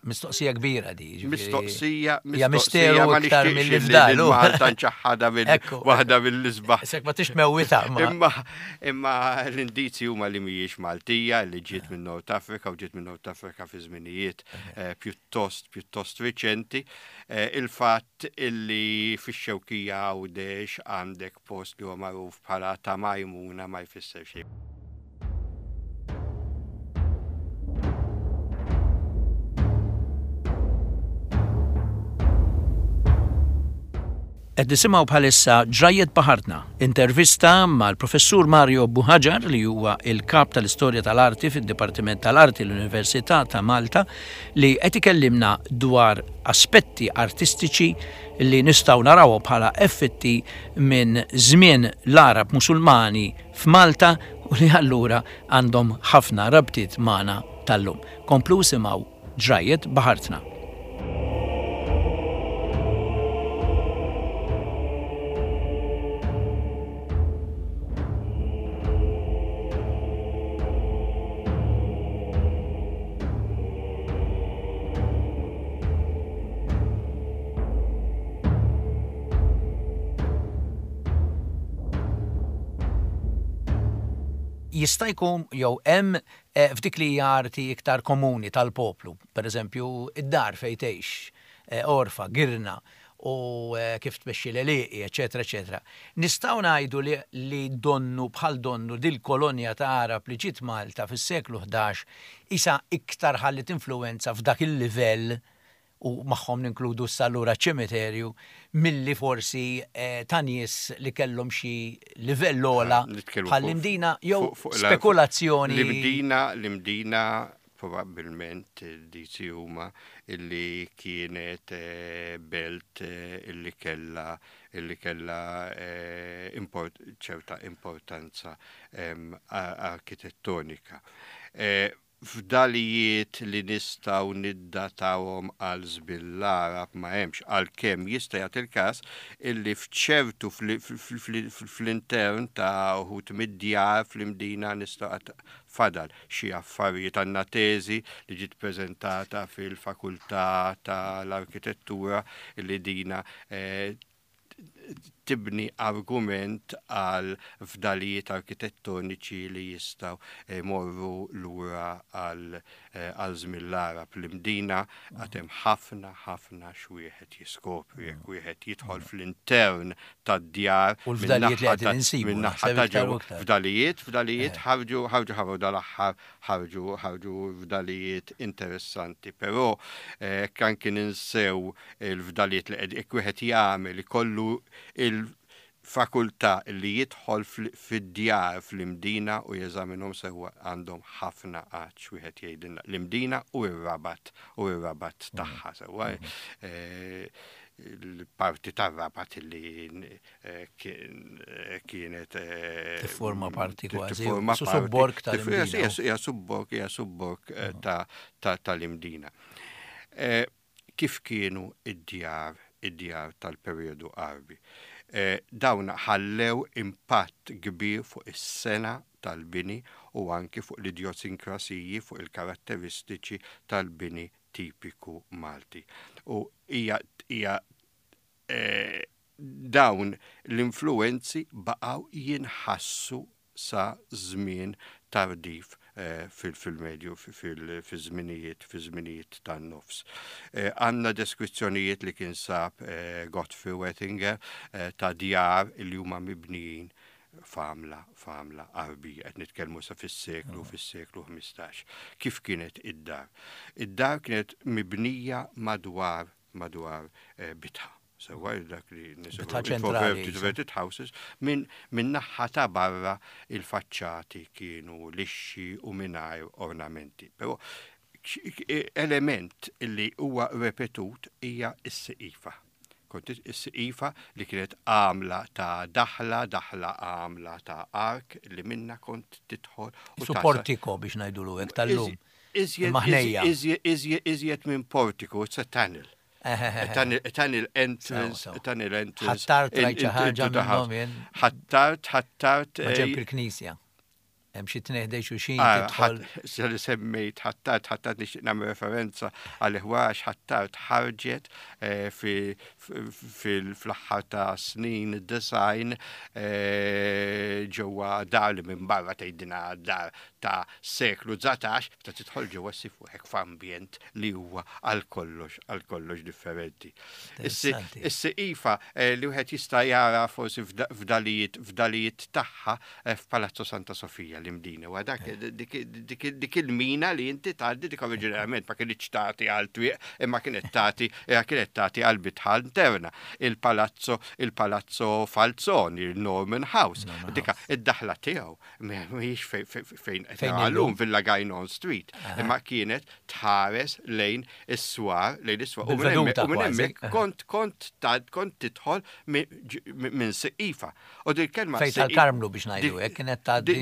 [SPEAKER 1] Mistoqsija kbira di.
[SPEAKER 2] Mistoqsija,
[SPEAKER 1] mistoqsija. Misteru iktar mill fdalu.
[SPEAKER 2] Malta nċaħħada minn waħda mill-isbaħ.
[SPEAKER 1] Sek ma tix mewwita.
[SPEAKER 2] Imma imma l-indizji huma li mhijiex Maltija li ġiet minn North Africa u ġiet minn North Africa fi żminijiet eh, pjuttost pjuttost riċenti. Eh, il-fatt illi fix-Xewkija Għawdex għandek post li huwa magħruf bħala ta' Majmuna ma jfisser xejn.
[SPEAKER 1] Qed nisimgħu bħalissa Ġrajjiet Baħartna, intervista mal-Professur Mario Buhagiar li huwa il-Kap tal-Istorja tal-Arti fid-Dipartiment tal-Arti l-Università ta' Malta li qed ikellimna dwar aspetti artistiċi li nistgħu narawhom bħala effetti minn żmien l-Għarab Musulmani f'Malta u li allura għandhom ħafna rabtiet magħna tal-lum. Komplu isimgħu Ġrajjiet Baħartna. Jista' jkun jew hemm eh, f'dik li hija arti iktar komuni tal-poplu, pereżempju id-dar fejn tgħix, eh, orfa, girna u eh, kif tmexxi l-għelieqi, eċetera, eċetera. Nistgħu ngħidu li, li donnu bħal donnu dil-kolonja ta' Għarab li ġiet Malta fis-seklu 11 isa iktar ħalliet influwenza f'dak il-livell u magħhom ninkludu issa allura ċ-ċimiterju, milli forsi ta' nies li kellhom xi livell ogħla bħall-Imdina jew spekulazzjoni.
[SPEAKER 2] L-Imdina, l-Imdina probabbilment dici huma illi kienet belt illi kellha illi kellha ċerta importanza arkitettonika. Fdalijiet li nistgħu niddatawhom għal żmien l-Għarab ma hemmx, għalkemm jista' jagħti l-każ illi f'ċertu fl-intern ta' uħud mid-djar fl-Imdina nistgħu għad fadal xi affarijiet. Għandna teżi li ġiet preżentata fil-Fakultà tal-Arkitettura illi dina tibni argument għal fdalijiet arkitettoniċi li jistgħu jmorru lura għal għal żmien l-Għarab. L-Imdina għad hemm ħafna ħafna x'wieħed jiskopri jekk wieħed jidħol fl-intern tad-djar.
[SPEAKER 1] U l-fdalijiet li qegħdin insibu.
[SPEAKER 2] Min-naħa ta' ġewwa. Fdalijiet, fdalijiet ħarġu ħarġu ħarġu dal-aħħar ħarġu ħarġu fdalijiet interessanti, però hekk anki ninsew il-fdalijiet li qed jekk wieħed jagħmel ikollu il Fakultà li jidħol fid-djar fl-Imdina u jeżaminhom sewwa għandhom ħafna għatx wieħed jgħidilna. L-Imdina u r-Rabat u r-Rabat tagħha sewwa. Il-parti tar-Rabat li kienet
[SPEAKER 1] Tifforma parti kważi. Subborg tal-Imdina.
[SPEAKER 2] Hija subborg, hija subborg tal-Imdina. Kif kienu id-djar id-djar tal-perjodu Għarbi. Dawn ħallew impatt kbir fuq is-sengħa tal-bini u anki fuq l-idjosinkrasiji, fuq il-karatteristiċi tal-bini tipiku Malti. U hija hija dawn l-influwenzi baqgħu jinħassu sa żmien tardiv fil-medju fiż-żminijiet fiż-żminijiet tan-nofs. Għandna deskrizzjonijiet li kien sab Godfrey Wettinger ta' djar li huma mibnijin f'għamla f'għamla Għarbija. Qed nitkellmu sa fis-seklu fis-seklu 15. Kif kienet id-dar? Id-dar kienet mibnija madwar madwar bitħa. Sewwa dak li
[SPEAKER 1] nisimgħu
[SPEAKER 2] houses minn min naħa ta' barra il-faċċati kienu lixxi u mingħajr ornamenti. Però element li huwa repetut hija s-siqifa. Kont is-siqifa li kienet għamla ta' daħla, daħla għamla ta' ark li minna kont tidħol.
[SPEAKER 1] Su portiko biex ngħidulu hekk tal-lum.
[SPEAKER 2] Iżjed minn portiku, it's a tunnel. Tunnel entrance, tunnel entrance.
[SPEAKER 1] Ħattart rajt xi ħaġa minnhom jien.
[SPEAKER 2] Ħattart, ħattart.
[SPEAKER 1] Ma ġenb il-knisja. Hemm xi tnejn xulxin ah, tidħol.
[SPEAKER 2] Se li semmejt ħattart, ħattart nixtieq nagħmel referenza għal għax ħattart ħarġet eh, fl-aħħar ta' snin design eh, ġewwa dar li minn barra tgħidina dar ta' seklu 19 ta' tidħol ġewwa ssib ruħek f'ambjent li huwa għal kollox għal kollox differenti. Is-siqifa eh, li wieħed jista' jara forsi f'dalijiet f'dalijiet tagħha eh, f'Palazzo Santa Sofija l-Imdina. Wa dak eh. dik il-mina li inti tgħaddi dik oriġinarjament ma kienx tagħti għal twieq imma kienet tagħti kienet tagħti għal bitħa interna. Il-Palazzo il-Palazzo Falzoni, il-Norman House, dika id-daħla tiegħu mhijiex fejn qed nagħlum Villa Gajnon Street, imma kienet tħares lejn is-swar, lejn is-swar. U minn hemmhekk kont kont kont tidħol minn siqifa.
[SPEAKER 1] U din kelma Fejn tal-Karmnu biex ngħidu hekk kienet tgħaddi.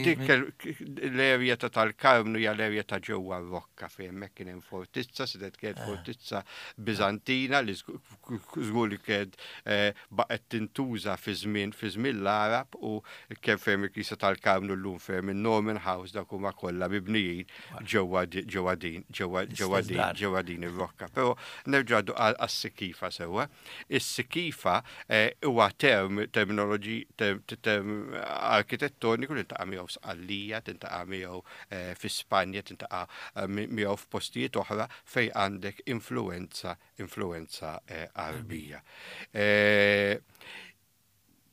[SPEAKER 2] L-erja ta' tal-Karmnu hija l-erja ta' ġewwa r-Rokka fejn hemmhekk kien hemm fortizza, sedet kienet fortizza Biżantina li żgur li kienet eh, baqgħet tintuża fi żmien fi żmien l-Għarab u kemm fejn il-Knisja tal-Karmnu llum fejn in-Norman House dawk huma kollha mibnijin ġewwa ġewwa din ġewwa ġewwa din ġewwa din ir-rokka. Però nerġa' għas-sikifa sewwa. Is-sikifa eh, huwa term terminoloġi term arkitettoniku li tintaqa' miegħu Sqallija, tintaqa' miegħu eh, fi Spanja, tintaqa' eh, miegħu f'postijiet oħra fejn għandek influenza influenza Għarbija.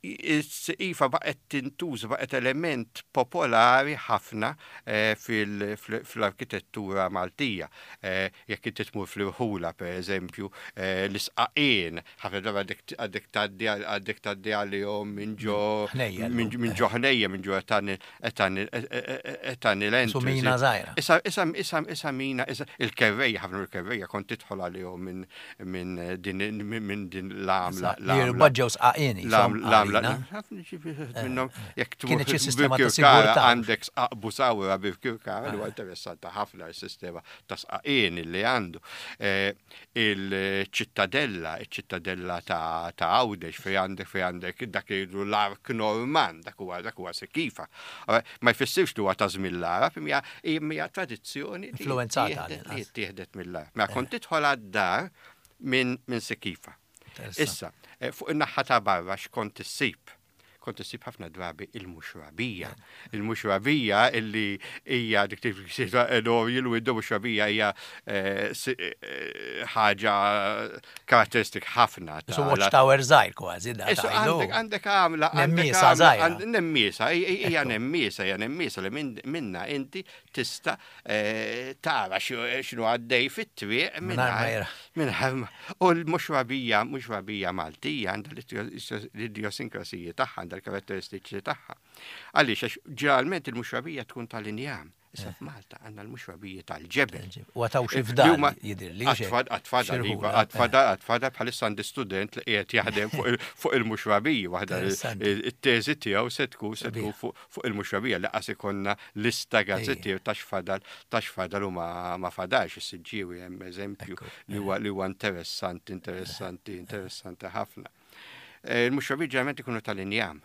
[SPEAKER 2] Iva baqgħet tintuża, baqgħet element popolari ħafna eh, fl-arkitettura Maltija. Eh, jekk inti tmur fl-irħula, per eżempju, eh, l-isqaqien, ħafna darba għandek tgħaddi għandek tgħaddi għalihom minn ġo minn ġo ħnejja, minn ġo etanil
[SPEAKER 1] Su mina żgħira.
[SPEAKER 2] Issa issa issa issa mina issa il-kerrejja ħafna mill-kerrejja kont tidħol għalihom minn minn din minn din l-għamla.
[SPEAKER 1] Jirbaġġew sqaqien.
[SPEAKER 2] L-għamla. Ħafna minnhom jekk tmur.
[SPEAKER 1] Kienet xi sistema ta' sigurtà.
[SPEAKER 2] Għandek sqaq busawra bil-kirkara li huwa interessanti ħafna s-sistema ta' sqaqien li għandu. Il-ċittadella, iċ-ċittadella ta' Għawdex fejn għandek fejn għandek dak li jgħidu l-ark Norman, dak huwa dak huwa sekifa. Ma jfissirx li huwa ta' żmien l-Għarab, imma hija tradizzjoni
[SPEAKER 1] influenzata
[SPEAKER 2] li ttieħdet mill-Għarab. Mela kont tidħol għad-dar minn minn Sekifa. Issa, eh, fuq in-naħa ta' barra x'kont issib? kont issib ħafna drabi il-muxrabija. Il-muxrabija illi hija dik l window muxrabija hija eh, eh, ħaġa karatteristik ħafna.
[SPEAKER 1] Su watchtower żgħir kważi da.
[SPEAKER 2] Għandek għamla.
[SPEAKER 1] Nemmiesa żgħira.
[SPEAKER 2] Nemmiesa, hija nemmiesa, hija nemmiesa li minna inti tista' eh, tara x'inhu għaddej fit-triq
[SPEAKER 1] mingħajr.
[SPEAKER 2] U l-muxrabija, muxrabija Maltija għandha l-idjosinkrasiji tagħha, għandha l-karatteristiċi tagħha. Għaliex għax ġeneralment il-muxrabija tkun tal-injam. Issa eh. f'Malta għandna l-muxrabija tal-ġebel.
[SPEAKER 1] U għataw xi fdal jidher li.
[SPEAKER 2] Għatfadal, iva, eh. għatfadal, għatfadal bħalissa għandi student li qiegħed jaħdem fuq il-muxrabija waħda it-teżi tiegħu se tkun se tkun fuq il-muxrabija li qas ikollna lista gazzettier ta' x'fadal ta' x'fadal u ma fadalx is-Siġġiewi hemm eżempju li huwa li huwa interessanti, interessanti, interessanti ħafna. Eh, il-muxrabija ġeneralment ikunu tal-injam.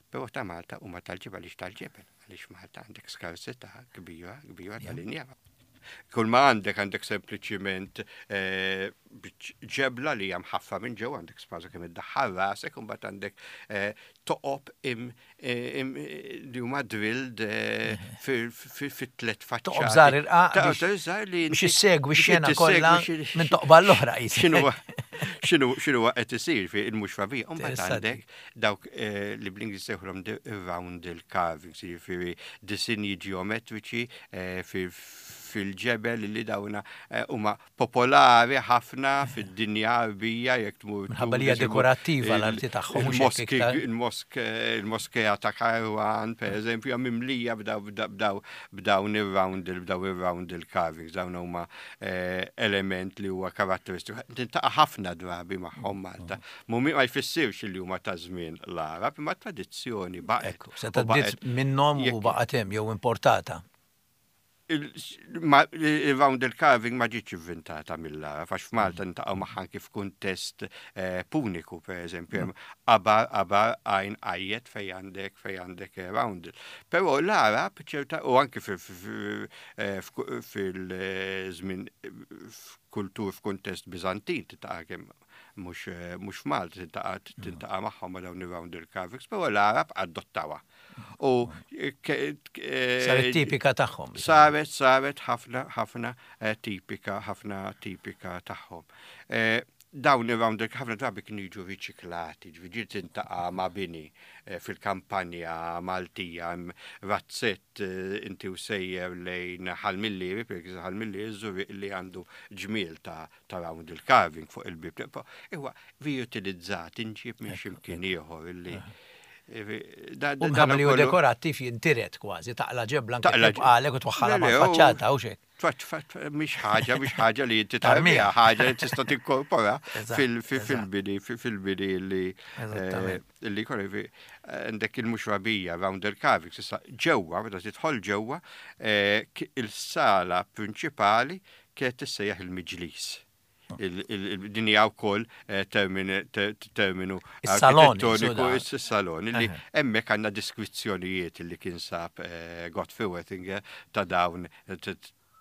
[SPEAKER 2] Però ta' Malta huma tal-ġebel għaliex tal-ġebel, għaliex Malta għandek skarsità kbira, kbira tal-injam. Kull ma għandek għandek sempliċiment eh, ġebla li hija mħaffa minn ġew għandek spaża kemm iddaħħal rasek u mbagħad għandek eh, toqob li huma drilled eh, fit-tlet faċċati.
[SPEAKER 1] Toqob żgħar irqaq biex issegwi x-xena kollha minn toqba l-oħra
[SPEAKER 2] X'inhu x'inhu qed isir fi il-mhux fabija. U mbagħad għandek dawk eh, li bl-Ingliż sejħulhom roundel carvings, jiġifieri disinji ġeometriċi fil-ġebel li dawna huma popolari ħafna fid-dinja Għarbija jekk tmur.
[SPEAKER 1] Minħabba li hija dekorattiva l-arti tagħhom.
[SPEAKER 2] Il-moskea ta' Kairouan, per eżempju, hija mimlija b'dawn ir-roundel, b'dawn ir-roundel carvings, dawn huma eh, element li huwa karatteristiku. Tintaqa' ħafna drabi magħhom Malta. Mhumie ma jfissirx li huma ta' żmien l-Għarab, imma tradizzjoni baqgħet.
[SPEAKER 1] Seta' minnhom u baqgħet hemm jew importata.
[SPEAKER 2] Il-roundel carving ma ġietx ivvintata mill-Għarab, għax f'Malta niltaqgħu magħha anki f'kuntest eh, puniku, per eżempju, hemm qabar, qabar, għajn għajjet fej għandek fej għandek eh, roundel. Però l-Għarab ċerta u anki eh, fil-żmien f'kultur f'kuntest Biżantin titaqa' kemm mhux f'Malta tintaqa' tintaqa' magħhom ma' dawn ir-roundel carvings, però l-Għarab adottawha. U
[SPEAKER 1] saret tipika tagħhom.
[SPEAKER 2] Saret, saret ħafna, ħafna eh, tipika, ħafna tipika tagħhom. Eh, dawn ir-roundel ħafna drabi kienu jiġu riċiklati, ġifieri tintaqa' ma' bini eh, fil-kampanja Maltija hemm razzett inti u sejjer lejn Ħal Millieri, per Ħal Millieri Żurrieq li għandu ġmiel ta' ta' roundel carving fuq il-bib. Iwa, riutilizzat, inġib minn ximkien ieħor illi.
[SPEAKER 1] U minħabba li hu dekorattiv jintiret kważi, taqla' ġebla anke tibqalek u twaħħalha mal-faċċata u x'hekk.
[SPEAKER 2] Mhix ħaġa, mhix ħaġa li inti tarmiha, ħaġa li tista' tinkorpora fil-bini, fil-bini li li jkun għandek il-muxrabija round il-carvings, issa ġewwa, meta tidħol ġewwa, il-sala prinċipali kienet tissejjaħ il-miġlis. Din hija wkoll eh, terminu
[SPEAKER 1] architettoniku,
[SPEAKER 2] is-salon, li hemmhekk għandna diskrizzjonijiet li kien sab eh, Godfrey Wettinger ta' dawn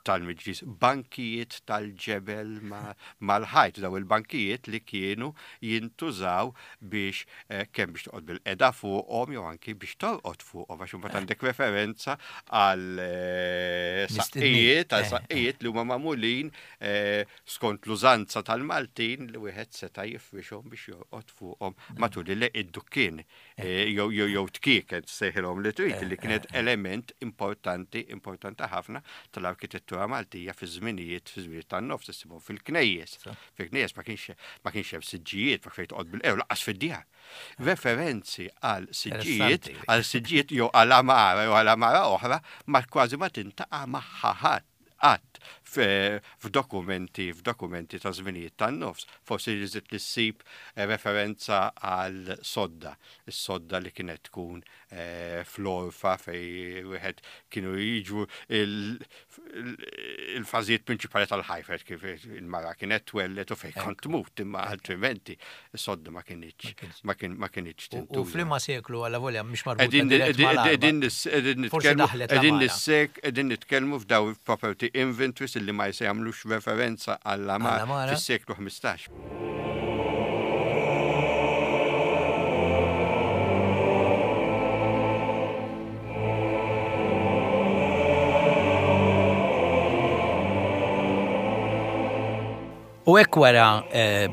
[SPEAKER 2] tal-miġlis, bankijiet tal-ġebel mal-ħajt, daw il-bankijiet li kienu jintużaw biex eh, kemm biex toqgħod bil-qeda fuqhom jew anki biex torqod fuqhom għax imbagħad għandek referenza għal eh, saqqijiet, għal eh, saqqijiet li huma magħmulin skont l-użanza tal-Maltin li wieħed seta' jifrixhom biex jorqod fuqhom matul id-dukkien jew jew tkieket sejħilhom li trid li kienet element importanti, importanti ħafna tal-arkitettura Maltija fi żminijiet fi żminijiet tan-nofs issibhom fil-knejjes. Fil-knejjes ma kienx ma kienx hemm siġġijiet ma fejn toqgħod bil-qew laqas fid-djar. Referenzi għal siġġijiet, għal siġġijiet jew għal amara jew għal amara oħra ma kważi ma tintaqa' magħha ħadd qatt f'dokumenti f'dokumenti ta' żminijiet tan-nofs. Forsi li żidt li ssib eh, referenza għal sodda, is-sodda li kienet tkun eh, fl-orfa fej wieħed kienu jiġu il-fażijiet prinċipali tal-ħajfet kif il-mara kienet twellet u fejn kont tmut imma altrimenti sodda ma kienx ma kienx
[SPEAKER 1] tintuża. U f'liema seklu alla volja mhix marbuta
[SPEAKER 2] Qegħdin nitkellmu f'daw property inventories illi ma jagħmlux referenza għall-għamara fis-seklu 15.
[SPEAKER 1] U hekk wara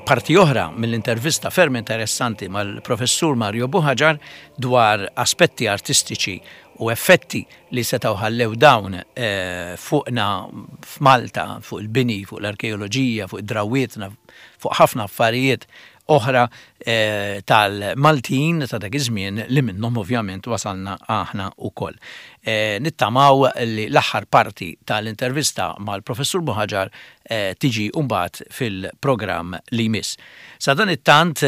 [SPEAKER 1] parti oħra mill-intervista ferm interessanti mal-Professur Mario Buhagiar dwar aspetti artistiċi u effetti li setgħu ħallew dawn fuqna f'Malta, fuq il-bini, fuq l-arkeoloġija, fuq id-drawwietna, fuq ħafna affarijiet oħra tal-Maltin ta' dak iż-żmien li minnhom ovvjament wasalna aħna wkoll. Nittamaw li l-aħħar parti tal-intervista mal-Professur Buhagiar tiġi mbagħad fil-programm li jmiss. Sadanittant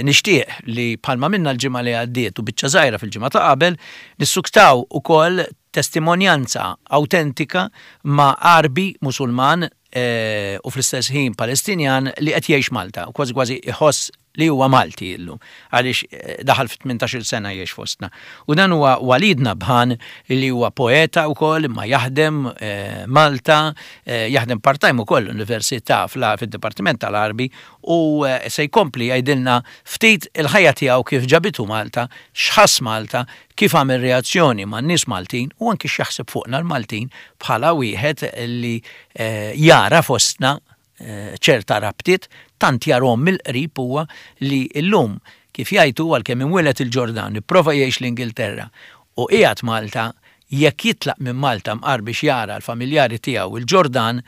[SPEAKER 1] nixtieq li bħalma minna l-ġimgħa li għaddiet u biċċa żgħira fil-ġimgħa ta' qabel, nissuktaw ukoll testimonjanza awtentika ma' Għarbi Musulman u fl-istess ħin Palestinjan li qed jgħix Malta u kważi kważi jħoss li huwa Malti illum għaliex daħal fi 18-il sena jgħix fostna. U dan huwa Walid Nabhan li huwa poeta wkoll imma jaħdem Malta, jaħdem part-time ukoll l-Università fid-Dipartiment tal-Għarbi u se jkompli jgħidilna ftit il-ħajja tiegħu kif ġabitu Malta, x'ħass Malta, kif għamel reazzjoni man-nies Maltin u anki x'jaħseb fuqna l-Maltin bħala wieħed li jara fostna ċerta rabtiet, tant jarhom mill-qrib huwa li llum, kif jgħid hu, għalkemm imwieled il-Ġordan, ipprova jgħix l-Ingilterra u qiegħed Malta, jekk jitlaq minn Malta mqar biex jara l-familjari tiegħu l-Ġordan,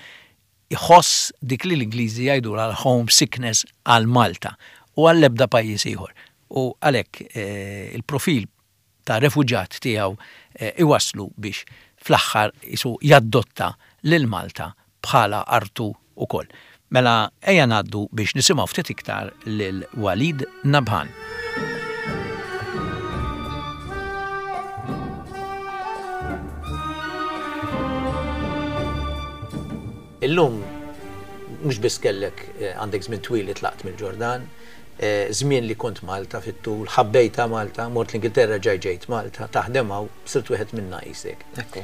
[SPEAKER 1] iħoss dik li l-Ingliżi jgħidulha l-home sickness għal Malta u għall-ebda pajjiż ieħor. U għalhekk il-profil ta' refuġat tiegħu iwasslu biex fl-aħħar qisu jaddotta lil Malta bħala artu wkoll. Mela ejja ngħaddu biex nisimgħu ftit iktar lil Walid Nabhan. Illum mhux biss kellek għandek żmien twil li tlaqt mill-Ġordan, żmien li kont Malta fit-tul, ħabbejtha Malta, mort l-Ingilterra ġaj ġejt Malta, taħdem hawn, sirt wieħed minna qisek.
[SPEAKER 3] Ekku.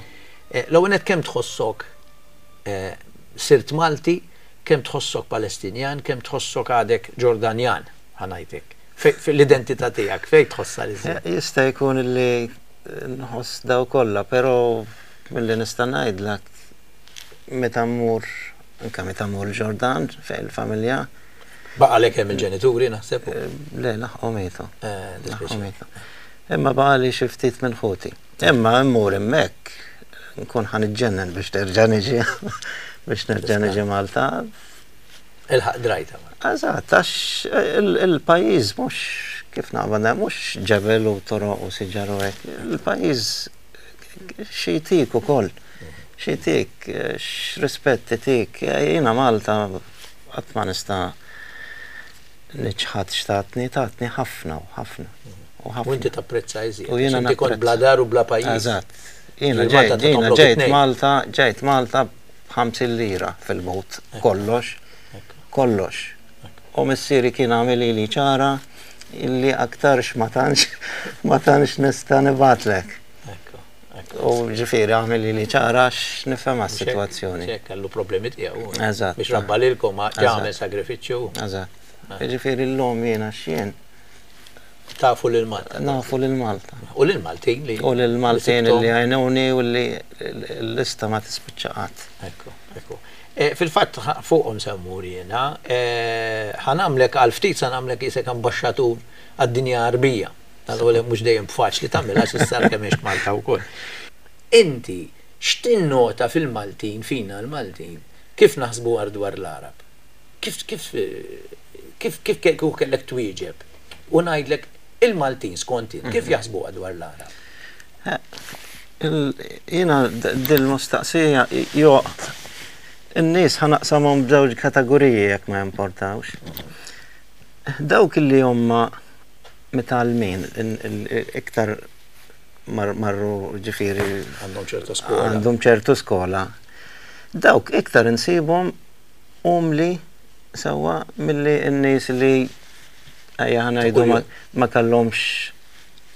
[SPEAKER 1] L-ewwel nett kemm tħossok sirt Malti, kemm tħossok Palestinjan, kemm tħossok għadek Ġordanjan, ħa ngħid hekk. L-identità tiegħek fejn tħossha l-iżjed?
[SPEAKER 3] Jista' jkun li nħoss daw kollha, però milli nista' ngħidlek meta mmur anke meta mmur il-Ġordan fejn il-familja.
[SPEAKER 1] Baqalek hemm il-ġenituri naħseb?
[SPEAKER 3] Le, laħqu mietu. Laħqu mietu. Imma baqali xi ftit minn ħuti. Imma mmur hemmhekk nkun ħa niġġennen biex nerġa' niġi biex nerġa' niġi Malta.
[SPEAKER 1] Ilħaq drajta.
[SPEAKER 3] Eżatt, għax il-pajjiż mhux kif naqbad mhux ġebel u toroq u siġar u hekk. Il-pajjiż xi jtik ukoll. Xi jtik, x'rispett itik. Jiena Malta qatt ma nista' niċħad x'tatni, tatni ħafna u ħafna. U ħafna.
[SPEAKER 1] U inti tapprezza iżjed.
[SPEAKER 3] U jiena
[SPEAKER 1] Inti kont bla dar u bla pajjiż.
[SPEAKER 3] Eżatt. Jiena ġejt, jiena ġejt Malta, ġejt Malta b'ħamsin lira fil-but, kollox. Kollox. U missieri kien għamilili ċara illi aktarx ma tantx ma tantx nista' nibgħatlek. U ġifieri għamilili ċara għax nifhemha s-sitwazzjoni.
[SPEAKER 1] Xek, kellu problemi tiegħu.
[SPEAKER 3] Eżatt.
[SPEAKER 1] Biex rabba lilkom għamel sagrifiċċju.
[SPEAKER 3] Eżatt. Ġifieri llum jiena x'jien.
[SPEAKER 1] Tafu lil Malta.
[SPEAKER 3] Nafu lil Malta.
[SPEAKER 1] U lil Maltin li.
[SPEAKER 3] U lil Maltin li għajnuni u li l-lista ma tispiċċa qatt.
[SPEAKER 1] Ekku, ekku. Fil-fatt fuqhom se mmur jiena. Ħa nagħmlek għal ftit sa nagħmlek qisek ambaxxatur għad-dinja Għarbija. Għalkemm mhux dejjem faċli tagħmilha għax issa kemm għext Malta wkoll. Inti x'tinnota fil-Maltin, fina l-Maltin, kif naħsbu dwar l-Għarab? Kif kif kif kif kieku kellek twieġeb u ngħidlek il-Maltin skont int kif jaħsbuha dwar l-Għarab?
[SPEAKER 3] Jiena dil-mistaqsija jo in-nies ħa naqsamhom b'żewġ kategoriji jekk ma jimportawx. Dawk li huma mitgħallmin iktar marru ġifieri
[SPEAKER 1] għandhom ċertu skola.
[SPEAKER 3] Għandhom ċertu skola. Dawk iktar insibhom umli sewwa milli n-nies li ejja ħa ngħidu ma kellhomx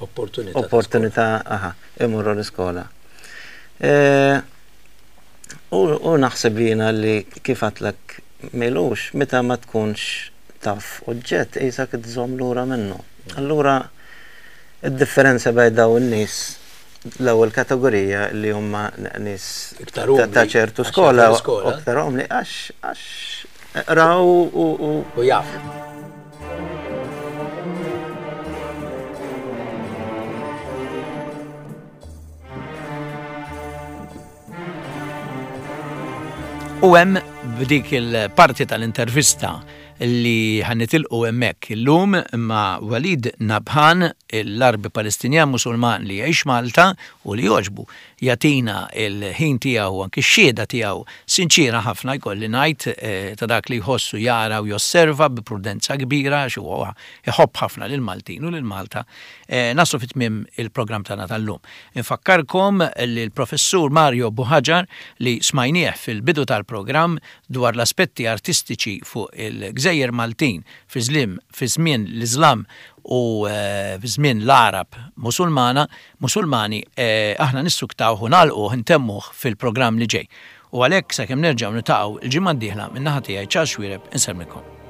[SPEAKER 1] opportunità
[SPEAKER 3] opportunità aha, imorru l-iskola. E, u naħseb jiena li kif għatlek milux meta ma tkunx taf oġġett qisek tżomm lura minnu. Allura id-differenza bejn dawn in-nies l-ewwel kategorija li huma nies ta' ċertu skola aktar umli għax għax. Raw u
[SPEAKER 1] u jaf. U hemm b'dik il-parti tal-intervista li ħa nitilqu hemmhekk illum ma' Walid Nabhan, l-Għarbi Palestinjan Musulman li jgħix Malta u li jogħġbu jagħtina l-ħin tiegħu u anki x-xhieda tiegħu sinċiera ħafna jkolli ngħid ta' dak li jħoss u jara u josserva bi prudenza kbira għax huwa iħobb ħafna lill-Maltin u lil Malta. Naslu fi tmiem il-programm tagħna tal-lum. Infakkarkom li l-Professur Mario Buhagiar li smajnieh fil-bidu tal-programm dwar l-aspetti artistiċi fuq il-gżejjer Maltin fi fi żmien l-Iżlam u fi żmien l-Għarab Musulmana, Musulmani, aħna nissuktawh u nagħlquh, intemmuh fil-programm li ġej. U għalhekk sakemm nerġgħu niltaqgħu l-ġimgħa d-dieħla min-naħa tiegħi Charles Xuereb insellmilkom.